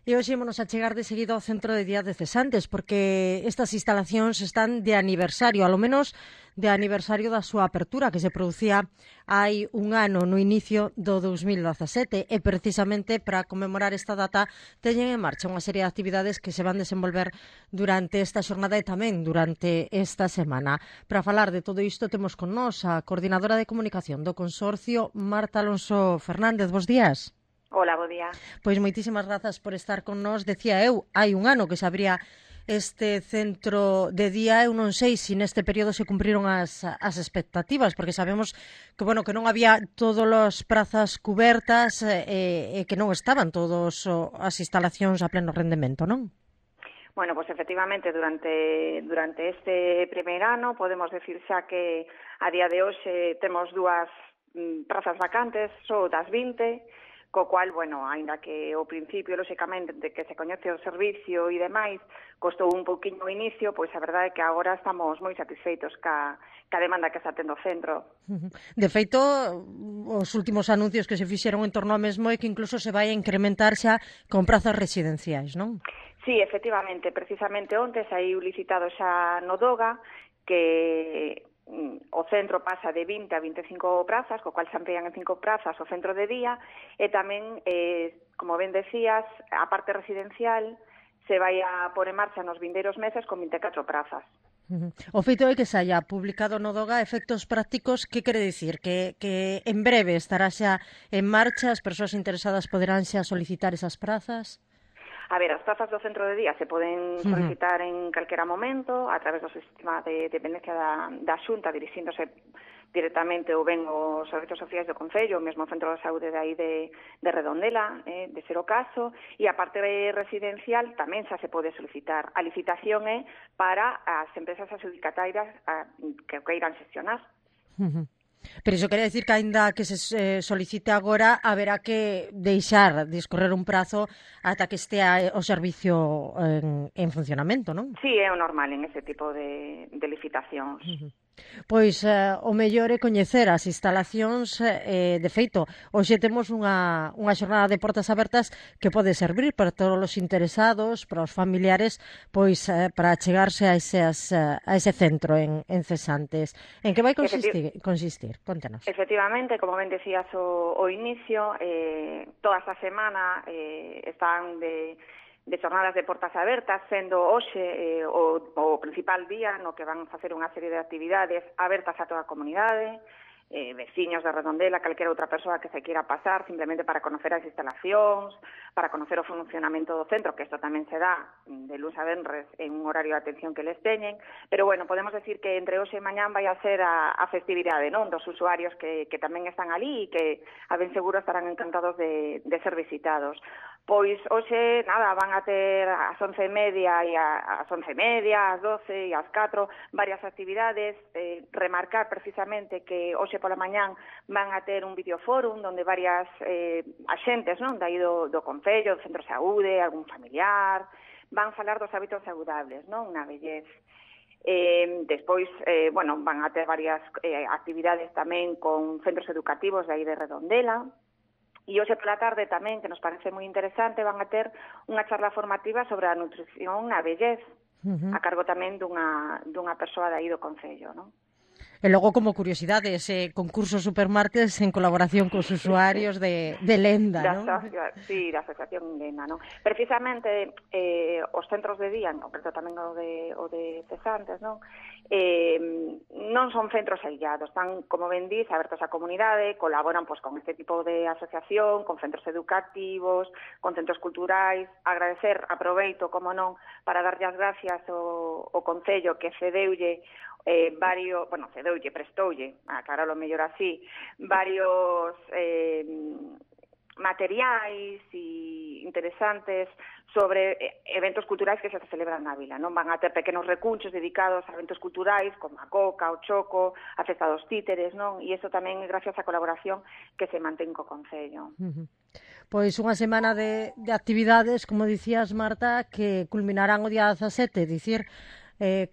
E hoxe ímonos a chegar de seguido ao Centro de Día de Cesantes, porque estas instalacións están de aniversario, alo menos de aniversario da súa apertura, que se producía hai un ano no inicio do 2017, e precisamente para conmemorar esta data teñen en marcha unha serie de actividades que se van desenvolver durante esta xornada e tamén durante esta semana. Para falar de todo isto temos con nós a coordinadora de comunicación do Consorcio, Marta Alonso Fernández. Bos días. Hola, bo día. Pois moitísimas grazas por estar con nós. Decía eu, hai un ano que se abría este centro de día. Eu non sei se neste período se cumpriron as expectativas, porque sabemos que, bueno, que non había todas as prazas cubertas e que non estaban todas as instalacións a pleno rendemento, non? Bueno, pues efectivamente, durante este primeiro ano podemos decir xa que a día de hoxe temos dúas prazas vacantes, só das 20, co cual, bueno, aínda que ao principio, lóxicamente, de que se coñece o servicio e demais, costou un pouquiño o inicio, pois a verdade é que agora estamos moi satisfeitos ca demanda que está tendo o centro. De feito, os últimos anuncios que se fixeron en torno ao mesmo é que incluso se vai a incrementar xa con prazas residenciais, non? Sí, efectivamente, precisamente onte saiu licitado xa no DOGA que o centro pasa de 20 a 25 prazas, co cual se amplían en 5 prazas o centro de día, e tamén, como ben decías, a parte residencial se vai a pôr en marcha nos vindeiros meses con 24 prazas. O feito é que se haya publicado no DOGA efectos prácticos, que quere dicir? Que en breve estará xa en marcha, as persoas interesadas poderán xa solicitar esas prazas? A ver, as prazas do centro de día se poden solicitar en calquera momento a través do sistema de dependencia da Xunta, dirixíndose directamente ou ben os servizos sociais do Concello, o mesmo centro de saúde de aí de Redondela, de ser o caso, e a parte residencial tamén xa se pode solicitar. A licitación é para as empresas adxudicatarias que queiran xestionar. Pero iso quere decir que aínda que se solicite agora haberá que deixar discorrer un prazo ata que estea o servicio en funcionamento, non? Sí, é o normal en ese tipo de licitacións. Pois o mellor é coñecer as instalacións, de feito, hoxe temos unha xornada de portas abertas que pode servir para todos os interesados, para os familiares, pois para chegarse a ese centro en Cesantes. En que vai consistir? Contanos. Efectivamente, como ben decías o inicio, toda esta semana están de xornadas de portas abertas, sendo hoxe o principal día no que van facer unha serie de actividades abertas a toda a comunidade, veciños de Redondela, calquera outra persoa que se queira pasar simplemente para conocer as instalacións, para conocer o funcionamento do centro, que isto tamén se dá de luns a venres en un horario de atención que les teñen, pero bueno, podemos decir que entre hoxe e mañán vai a ser a festividade, non, dos usuarios que tamén están ali e que a ben seguro estarán encantados de ser visitados. Pois hoxe, nada, van a ter ás 11:30 e ás 11:30, ás 12 e ás 4 varias actividades, remarcar precisamente que hoxe pola mañán van a ter un videoforum onde varias axentes, non, de aí do Concello, do Centro de Saúde, algún familiar, van falar dos hábitos saludables, non, na vellez. Despois, bueno, van a ter varias actividades tamén con centros educativos de aí de Redondela. E hoxe pola tarde tamén, que nos parece moi interesante, van a ter unha charla formativa sobre a nutrición na vellez, a cargo tamén dunha persoa de aí do Concello, non? E logo, como curiosidade, ese concurso Supermartes en colaboración cos usuarios de Lenda, non? Sí, da Asociación Lenda, non? Precisamente, os centros de día, en concreto tamén o de Cesantes, non? Non son centros aillados, están, como ben dís, abertos á comunidade, colaboran pois con este tipo de asociación, con centros educativos, con centros culturais. Agradecer, aproveito, como non, para darlle as gracias ao Concello que cedeulle prestoulle, aclaralo mellor así, varios materiais e interesantes sobre eventos culturais que se celebran na vila, non? Van a ter pequenos recunchos dedicados a eventos culturais como a Coca, o Choco, a Festa dos Títeres, non? E iso tamén é gracias á colaboración que se mantén co Concello. Pois unha semana de actividades, como dicías, Marta, que culminarán o día 17, dicir,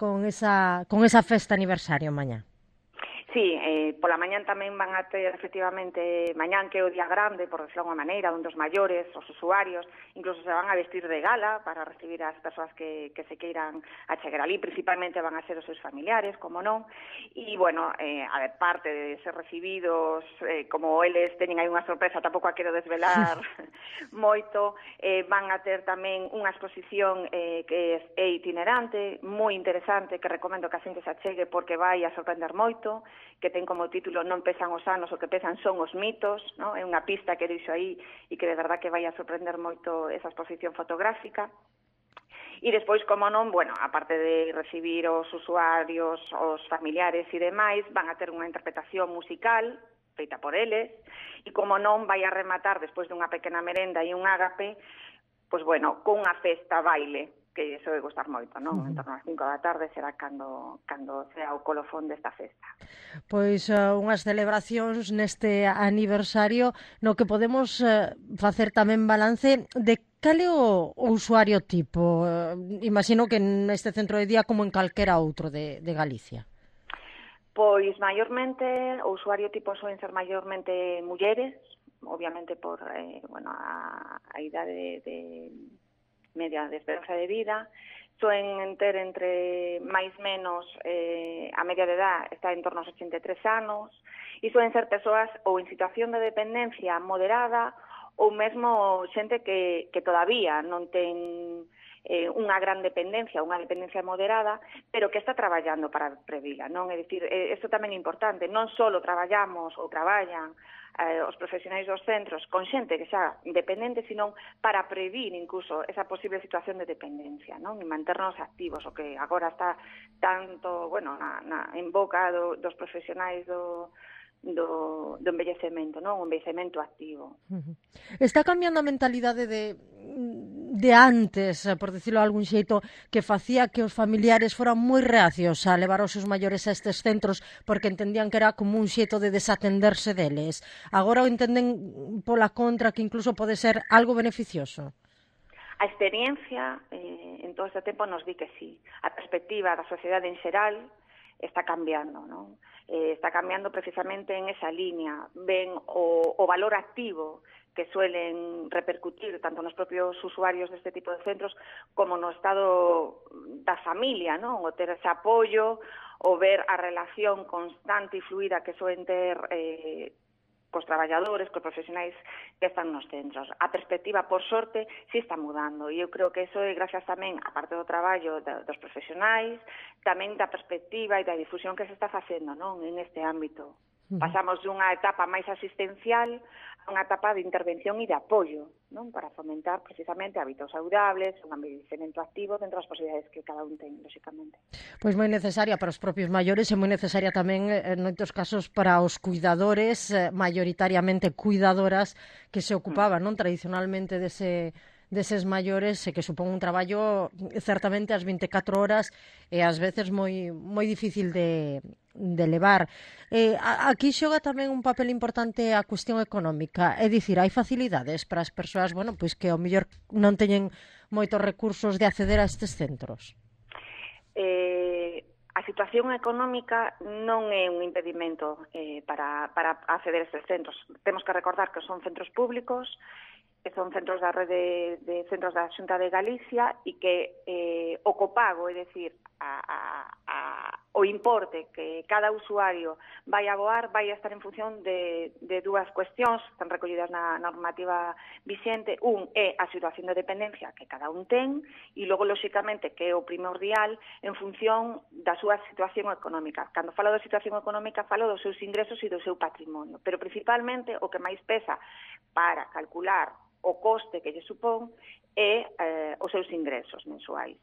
con esa festa aniversario mañá. Sí, pola mañán tamén van a ter, efectivamente, mañán que é o día grande, por decirlo de alguma maneira, onde os maiores, os usuarios, incluso se van a vestir de gala para recibir as persoas que se queiran achegar ali, principalmente van a ser os seus familiares, como non, e, bueno, a ver, parte de ser recibidos, como eles teñen aí unha sorpresa, tampouco a quero desvelar moito, van a ter tamén unha exposición que é itinerante, moi interesante, que recomendo que a xente se achegue porque vai a sorprender moito, que ten como título Non pesan os anos, o que pesan son os mitos, ¿no? É unha pista que deixo aí e que de verdad que vai a sorprender moito esa exposición fotográfica. E despois, como non, bueno, aparte de recibir os usuarios, os familiares e demais, van a ter unha interpretación musical feita por eles, e como non, vai a rematar despois dunha pequena merenda e un ágape, pois bueno, cunha festa baile, que iso vai gustar moito, non? En torno ás 5 da tarde será cando sea o colofón desta festa. Pois unhas celebracións neste aniversario no que podemos facer tamén balance de cal é o usuario tipo. Imagino que neste centro de día como en calquera outro de Galicia. Pois maiormente o usuario tipo soen ser maiormente mulleres, obviamente por a idade de media de esperanza de vida, soen ter entre máis menos a media de edad está en torno aos 83 anos e soen ser persoas ou en situación de dependencia moderada ou mesmo xente que todavía non ten unha gran dependencia, unha dependencia moderada, pero que está traballando para previla, non? É dicir, isto tamén é importante, non só traballamos ou traballan os profesionais dos centros con xente que xa dependente, sino para previr incluso esa posible situación de dependencia, non? E manternos activos, o que agora está tanto, bueno, en boca dos profesionais do envellecemento, non? O envellecemento activo. Está cambiando a mentalidade de antes, por decirlo de algún xeito, que facía que os familiares foran moi reacios a levar os seus maiores a estes centros porque entendían que era como un xeito de desatenderse deles. Agora o entenden pola contra que incluso pode ser algo beneficioso. A experiencia en todo este tempo nos di que sí. A perspectiva da sociedade en xeral está cambiando, non? Está cambiando precisamente en esa línea. Ven o valor activo que suelen repercutir tanto nos propios usuarios deste tipo de centros como no estado da familia, non? O ter ese apoio, o ver a relación constante e fluida que suelen ter cos traballadores, cos profesionais que están nos centros. A perspectiva, por sorte, sí está mudando. E eu creo que iso é gracias tamén, a parte do traballo dos profesionais, tamén da perspectiva e da difusión que se está facendo, non, en este ámbito. Pasamos dunha etapa máis asistencial a unha etapa de intervención e de apoio, non, para fomentar precisamente hábitos saudables, un envellecemento activo dentro das posibilidades que cada un ten, lóxicamente. Pois moi necesaria para os propios maiores e moi necesaria tamén, en moitos casos, para os cuidadores, maioritariamente cuidadoras, que se ocupaban, non, tradicionalmente deses maiores, e que supón un traballo certamente ás 24 horas e ás veces moi difícil de levar. Aquí xoga tamén un papel importante a cuestión económica, é dicir, hai facilidades para as persoas, bueno, pois que ao mellor non teñen moitos recursos de acceder a estes centros. A situación económica non é un impedimento para acceder a estes centros. Temos que recordar que son centros públicos, que son centros da rede de centros da Xunta de Galicia e que o copago, é dicir, o importe que cada usuario vai aboar vai a estar en función de dúas cuestións, están recollidas na normativa vixente. Un é a situación de dependencia que cada un ten e logo, lóxicamente, que é o primordial en función da súa situación económica. Cando falo da situación económica, falo dos seus ingresos e do seu patrimonio, pero principalmente o que máis pesa para calcular o coste que lle supón é os seus ingresos mensuais.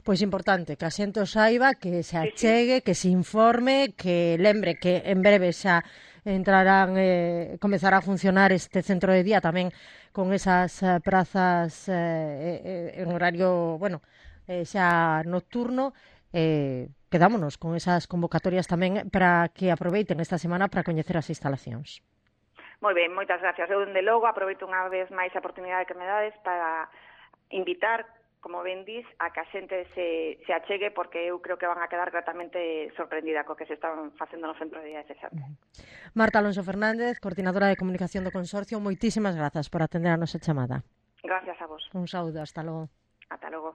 Pois importante que a xente o saiba, que se achegue, que se informe, que lembre que en breve xa comezará a funcionar este centro de día tamén con esas prazas en horario, bueno, xa nocturno. Quedámonos con esas convocatorias tamén para que aproveiten esta semana para coñecer as instalacións. Moi ben, moitas gracias. Eu, dende logo, aproveito unha vez máis a oportunidade que me dades para invitar como ben dís, a que a xente se achegue, porque eu creo que van a quedar gratamente sorprendida co que se están facendo no Centro de Día de Cesante. Marta Alonso Fernández, coordinadora de comunicación do Consorcio, moitísimas grazas por atender a nosa chamada. Gracias a vos. Un saúdo, hasta logo. Ata logo.